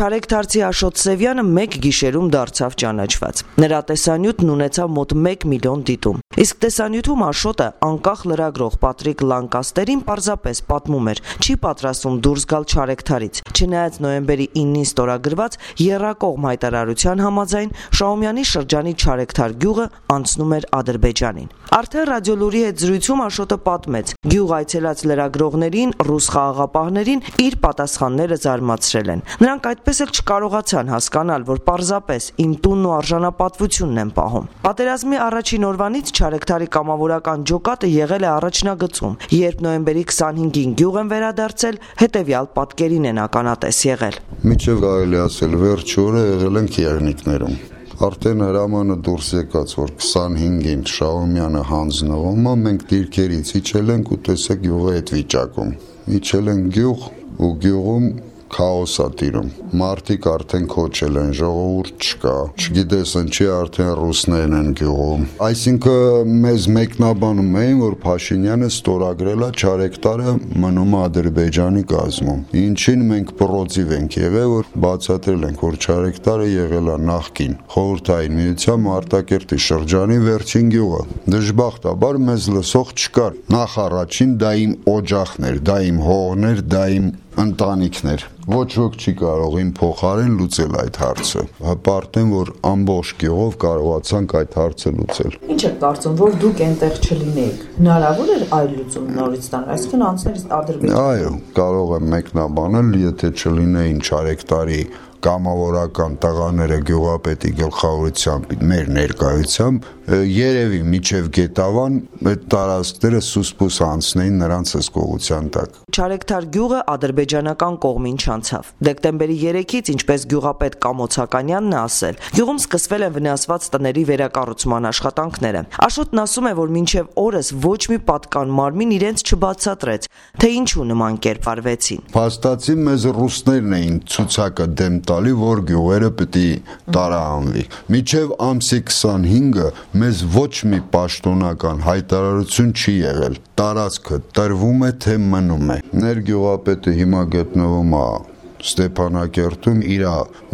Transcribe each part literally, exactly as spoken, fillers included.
Չարեգթարցի Աշոտ Սևյանը մեկ գիշերում դարձավ ճանաչված։ Նրա տեսանյութն ունեցավ մոտ մեկ միլիոն դիտում։ Իսկ տեսանյութում Աշոտը անկախ լրագրող Պատրիկ Լանկաստերին պարզապես պատմում էր, չի պատրաստվում դուրս գալ Չարեգթարից, չնայած նոյեմբերի իննին ստորագրված եռակողմ հայտարարության համաձայն Շահումյանի շրջանի Չարեգթար գյուղը անցնում էր Ադրբեջանին։ Արդեն ռադիոլուրի հետ զրույցում Աշոտը պատմեց, գյուղ այցելած լրագրողներին, ռուս խաղաղապահներին իր պատասխանները զարմացրել են։ Նրանք այդպես էլ չկարողացան հասկանալ, որ պարզապես իմ տունն ու արժանապատվությունն են պահում։ Պատերազմի առաջին օրվանից Չարեգթարի կամավորական ջոկատը եղել է առաջնագծում, երբ նոյեմբերի քսանհինգին գյուղ են վերադարձել, հետևյալ պատկերին են ականատես եղել։ Միջև կարելի ասել վերջ օրը եղել ենք եղնիկներում։ Արդեն հրամանը դուրս եկած, որ քսանհինգին Շահումյանը հանձնվում է, մենք դիրքերից իջել ենք ու տեսեք գյուղի այդ վիճակում։ Իջել ենք գյուղ ու գյուղում քաոս է տիրում։ Մարդիկ արդեն քոչել են, ժողովուրդ չկա, չգիտես ինչի արդեն ռուսներն են գյուղում։ Այսինքն մեզ մեկնաբանում էին, որ Փաշինյանը ստորագրել է Չարեգթարը մնում Ադրբեջանի կազմում։ Ինչին մենք պրոցիվ ենք եղել, որ բացատրել ենք, որ Չարեգթարը եղել է նախկին Խորհրդային Միության Մարտակերտի շրջանի վերջին գյուղը։ Դժբախտաբար մեզ լսող չկար։ Նախ առաջին դա իմ օջախն էր, դա իմ հողն էր, դա իմ ընտանիքներ։ Ոչ ոք չի կարող իմ փոխարեն լուծել այդ հարցը։ Հպարտեմ, որ ամբողջ գյուղով կարողացանք այդ հարցը լուծել։ Ինչ եք կարծում, որ դուք այնտեղ չլինեիք։ Հնարավոր էր այլ լուծում նորից տալ, այսինքն անցնել Ադրբեջան։ Այո, կարող եմ մեկնաբանել, եթե չլինեին Չարեգթարի կամավորական տղաները գյուղապետի գլխավորությամբ մեր ներկայությամբ երևի միջև Գետավան այդ տարածքները սուսպուս անցնեին նրանց հսկողության տակ։ Չարեգթար գյուղը ադրբեջանական կողմին չանցավ։ Դեկտեմբերի երեքից, ինչպես գյուղապետ Կամոց Հականյանն է ասել, գյուղում սկսվել են վնասված տների վերակառուցման աշխատանքները։ Աշոտն ասում է, որ մինչև օրս ոչ մի պատկան մարմին իրենց չբացատրեց, թե ինչու նման կերպ արվեցին։ Փաստացի մեզ ռուսներն էին ցուցակը դեմ տալի, որ գյուղերը պիտի տարանվի։ Մինչև ամսի քսանհինգը մեզ ոչ մի պաշտոնական հայտարարություն չի եղել։ Տարածքը տրվում է, թե մնում է։ Ներգյուղապետը հիմա գտնվում է Ստեփանակերտում, իր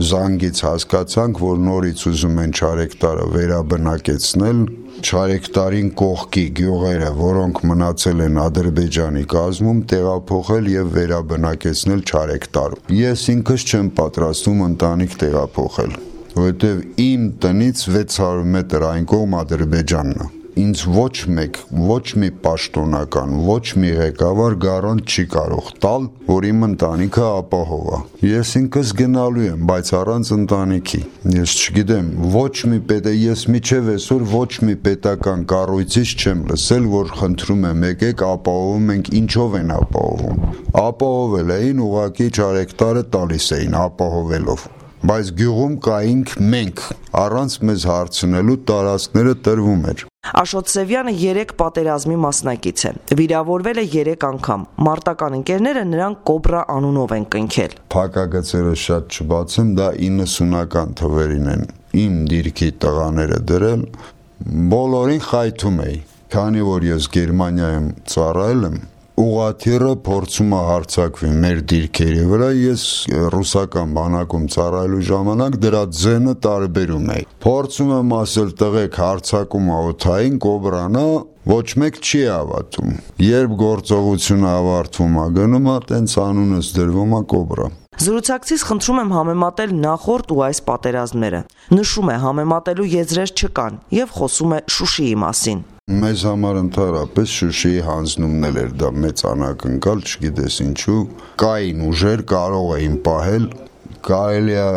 զանգից հասկացանք, որ նորից ուզում են Չարեգթարը վերաբնակեցնել, Չարեգթարին կողքի գյուղերը, որոնք մնացել են Ադրբեջանի կազմում, տեղափոխել եւ վերաբնակեցնել Չարեգթարում։ Ես ինքս չեմ պատրաստվում ընտանիք տեղափոխել, որովհետեւ իմ տնից վեց հարյուր մետր այն կողմ Ադրբեջանն է։ Ինձ ոչ մեկ, ոչ մի պաշտոնական, ոչ մի ղեկավար գարանտ չի կարող տալ, որ իմ ընտանիքը ապահով է։ Ես ինքս գնալու եմ, բայց առանց ընտանիքի։ Ես չգիտեմ, ոչ մի պետ, ես միջև այսօր ոչ մի պետական կառույցից չեմ լսել, որ խնդրում եմ եկեք ապահովում ենք, ինչով են ապահովում։ Ապահովել էին, ուղղակի Չարեգթարը տալիս էին ապահովելով։ Բայց գյուղում կայինք մենք, առանց մեզ հարցնելու տարածքները տրվում էր։ Աշոտ Սևյանը երեք պատերազմի մասնակից է։ Վիրավորվել է երեք անգամ։ Մարտական ընկերները նրան Կոբրա անունով են կնքել։ Փակագծերը շատ չբացեմ, դա իննսունական թվերին են իմ դիրքի տղաները դրել։ Բոլորին խայթում էի, քանի որ ես Գերմանիայում ծառայել եմ, ուղղաթիռը փորձում է հարձակվի մեր դիրքերի վրա, ես ռուսական բանակում ծառայելու ժամանակ դրա ձենը տարբերում էի։ Փորձում եմ ասել տղեկ հարձակում է օդային, Կոբրան է, ոչ մեկ չի հավատում։ Երբ գործողությունը ավարտվում է, գնում է, տենց անունս դրվում է Կոբրա։ Զրուցակցից խնդրում եմ համեմատել նախորդ ու այս պատերազմները։ Նշում է համեմատելու եզրեր չկան եւ խոսում է Շուշիի մասին։ Մեզ համար ընդհանրապես Շուշիի հանձնումն էր դա մեծ անակնկալ, չգիտես ինչու, կային ուժեր կարող էին պահել, կարելի է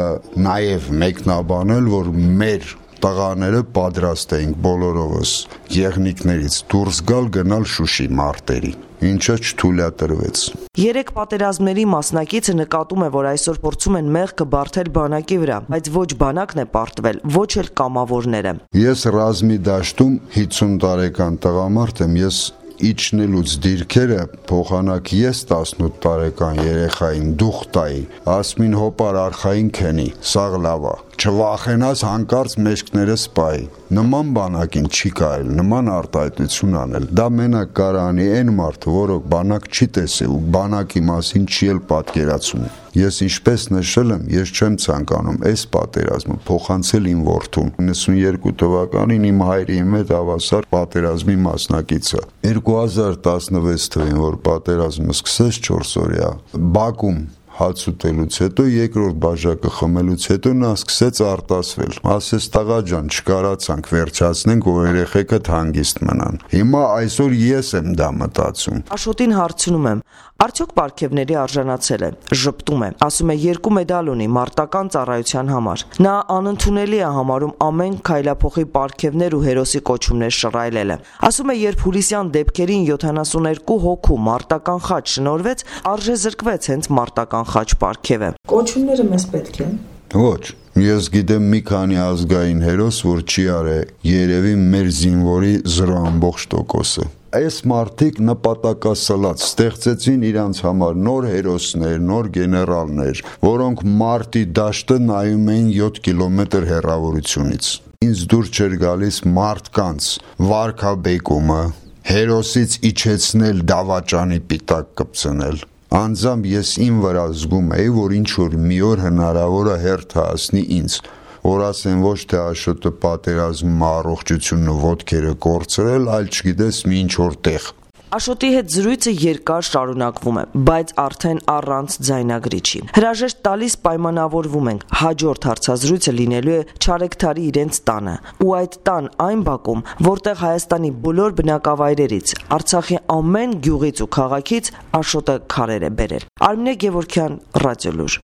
նաև մեկնաբանել, որ մեր տղաները պատրաստ էին բոլորովս եղնիկներից դուրս գալ գնալ Շուշի մարտերի, ինչը չթույլատրվեց։ Երեք պատերազմների մասնակիցը նկատում է, որ այսօր փորձում են մեղքը բարթել բանակի վրա, բայց ոչ բանակն է պարտվել, ոչ էլ կամավորները։ Ես ռազմի դաշտում հիսուն տարեկան տղամարդ եմ, ես իջնելուց դիրքերը փոխանակ ես տասնութ տարեկան երեխային դուխ տայի, ասմին հոպար արխային քենի, սաղ լավ է, չվախենաս հանկարծ մեջքները սպայի։ Նման բանակին չի կարել, նման արտահայտություն անել։ Դա մենակ կարանի այն մարդը, որը բանակ չի տեսել ու բանակի մասին չի էլ պատկերացում։ Ես ինչպես նշել եմ, ես չեմ ցանկանում այս պատերազմը փոխանցել իմ որդուն։ իննսունյերկու թվականին իմ հայրի իմ հետ հավասար պատերազմի մասնակիցը։ երկու հազար տասնվեց թվին, որ պատերազմը սկսեց չորսօրյա, Բաքում հաց ուտելուց հետո, երկրորդ բաժակը խմելուց հետո նա սկսեց արտասվել։ Ասես տղա ջան, չկարացանք վերջացնենք, որ երեխեքդ հանգիստ մնան։ Հիմա այսօր ես եմ դա մտածում։ Աշոտին հարցնում եմ, արդյոք պարգևների արժանացել է, ժպտում է, ասում է երկու մեդալ ունի մարտական ծառայության համար։ Նա անընդունելի է համարում ամեն քայլափոխի պարգևներ ու հերոսի կոչումներ շռայլելը։ Ասում է, երբ հուլիսյան դեպքերին յոթանասուներկու հոգու մարտական խաչ շնորհվեց, արժե զրկվեց հենց մարտական խաչ պարգևը։ Կոչումները մեզ պետք են։ Ոչ, ես գիտեմ մի քանի ազգային հերոս, որ չի արել երևի մեր զինվորի զրո ամբողջ տոկոսը։ Այս մարդիկ նպատակասլաց ստեղծեցին իրանց համար նոր հերոսներ, նոր գեներալներ, որոնք մարտի դաշտը նայում էին յոթ կիլոմետր հեռավորությունից։ Ինձ դուր չէր գալիս մարդկանց վարքաբեկումը, հերոսից իջեցնել դավաճանի պիտակ կպցնել։ Անձամբ ես իմ վրա զգում էի, որ ինչ-որ մի օր հնարավոր է հերթ հասնի ինձ, որ ասեն ոչ թե Աշոտը պատերազմում առողջությունը ոտքերը կորցրել, այլ չգիտես մի ինչ-որ տեղ։ Աշոտի հետ զրույցը երկար շարունակվում է, բայց արդեն առանց ձայնագրիչի։ Հրաժեշտ տալիս պայմանավորվում ենք, հաջորդ հարցազրույցը լինելու է Չարեքթարի իրենց տանը, ու այդ տան այն բակում, որտեղ Հայաստանի բոլոր բնակավայրերից, Արցախի ամեն գյուղից ու քաղաքից Աշոտը քարեր է բերել։ Արմինե Գևորգյան, Ռադիոլուր։